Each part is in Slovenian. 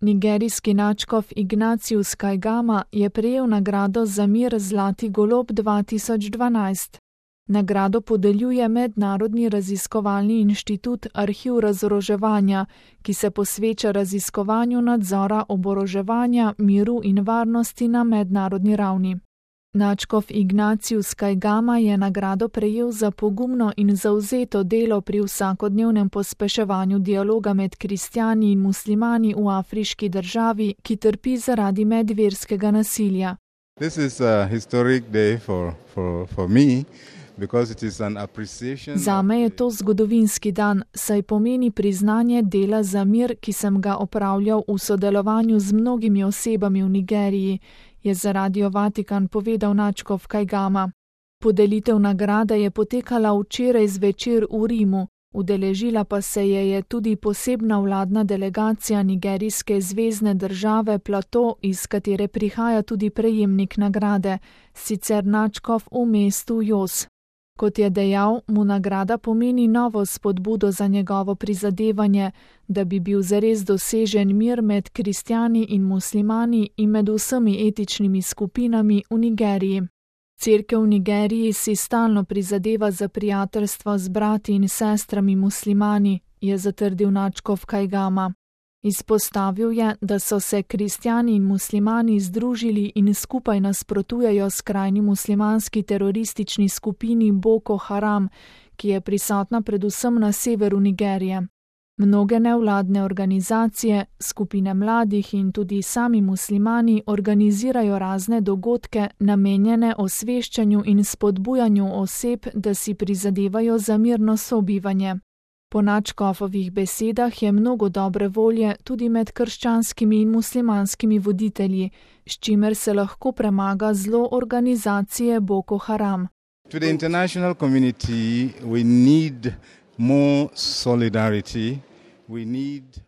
Nigerijski nadškof Ignatius Kaigama je prejel nagrado za mir Zlati golob 2012. Nagrado podeljuje Mednarodni raziskovalni inštitut Arhiv razoroževanja, ki se posveča raziskovanju nadzora oboroževanja, miru in varnosti na mednarodni ravni. Nadškof Ignatius Kaigama je nagrado prejel za pogumno in zavzeto delo pri vsakodnevnem pospeševanju dialoga med kristjani in muslimani v afriški državi, ki trpi zaradi medverskega nasilja. This is a historic day for me. Zame je to zgodovinski dan, saj pomeni priznanje dela za mir, ki sem ga opravljal v sodelovanju z mnogimi osebami v Nigeriji, je za Radio Vatikan povedal nadškof Kaigama. Podelitev nagrade je potekala včeraj zvečer v Rimu, udeležila pa se je tudi posebna vladna delegacija nigerijske zvezne države Plateau, iz katere prihaja tudi prejemnik nagrade, sicer nadškof v mestu Jos. Kot je dejal, mu nagrada pomeni novo spodbudo za njegovo prizadevanje, da bi bil zares dosežen mir med kristjani in muslimani in med vsemi etičnimi skupinami v Nigeriji. Cerkev v Nigeriji si stalno prizadeva za prijateljstvo z brati in sestrami muslimani, je zatrdil nadškof Kaigama. Izpostavil je, da so se kristjani in muslimani združili in skupaj nasprotujejo skrajni muslimanski teroristični skupini Boko Haram, ki je prisotna predvsem na severu Nigerije. Mnoge nevladne organizacije, skupine mladih in tudi sami muslimani organizirajo razne dogodke, namenjene osveščanju in spodbujanju oseb, da si prizadevajo za mirno sobivanje. Po nadškofovih besedah je mnogo dobre volje tudi med krščanskimi in muslimanskimi voditelji, s čimer se lahko premaga zlo organizacije Boko Haram. To the international community we need more solidarity.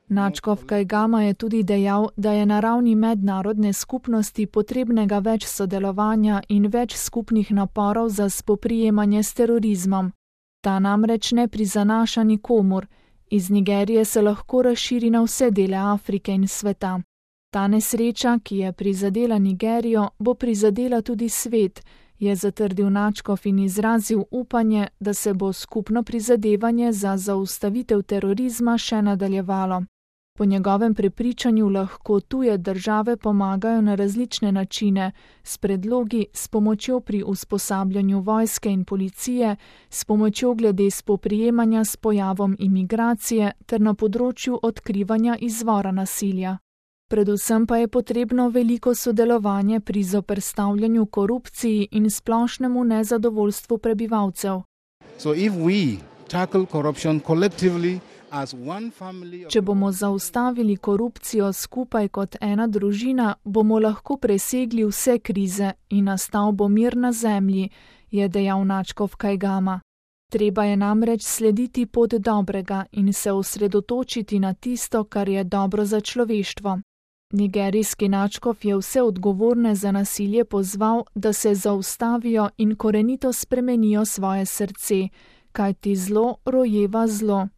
Nadškof Kaigama je tudi dejal, da je na ravni mednarodne skupnosti potrebnega več sodelovanja in več skupnih naporov za spoprijemanje s terorizmom. Ta namreč ne prizanaša nikomur. Iz Nigerije se lahko razširi na vse dele Afrike in sveta. Ta nesreča, ki je prizadela Nigerijo, bo prizadela tudi svet, je zatrdil nadškof in izrazil upanje, da se bo skupno prizadevanje za zaustavitev terorizma še nadaljevalo. Po njegovem prepričanju lahko tuje države pomagajo na različne načine, s predlogi, s pomočjo pri usposabljanju vojske in policije, s pomočjo glede spoprijemanja s pojavom imigracije ter na področju odkrivanja izvora nasilja. Predvsem pa je potrebno veliko sodelovanje pri zoperstavljanju korupciji in splošnemu nezadovoljstvu prebivalcev. Če bomo zaustavili korupcijo skupaj kot ena družina, bomo lahko presegli vse krize in nastal bo mir na zemlji, je dejal nadškof Kaigama. Treba je namreč slediti pot dobrega in se osredotočiti na tisto, kar je dobro za človeštvo. Nigerijski nadškof je vse odgovorne za nasilje pozval, da se zaustavijo in korenito spremenijo svoje srce, kajti zlo rojeva zlo.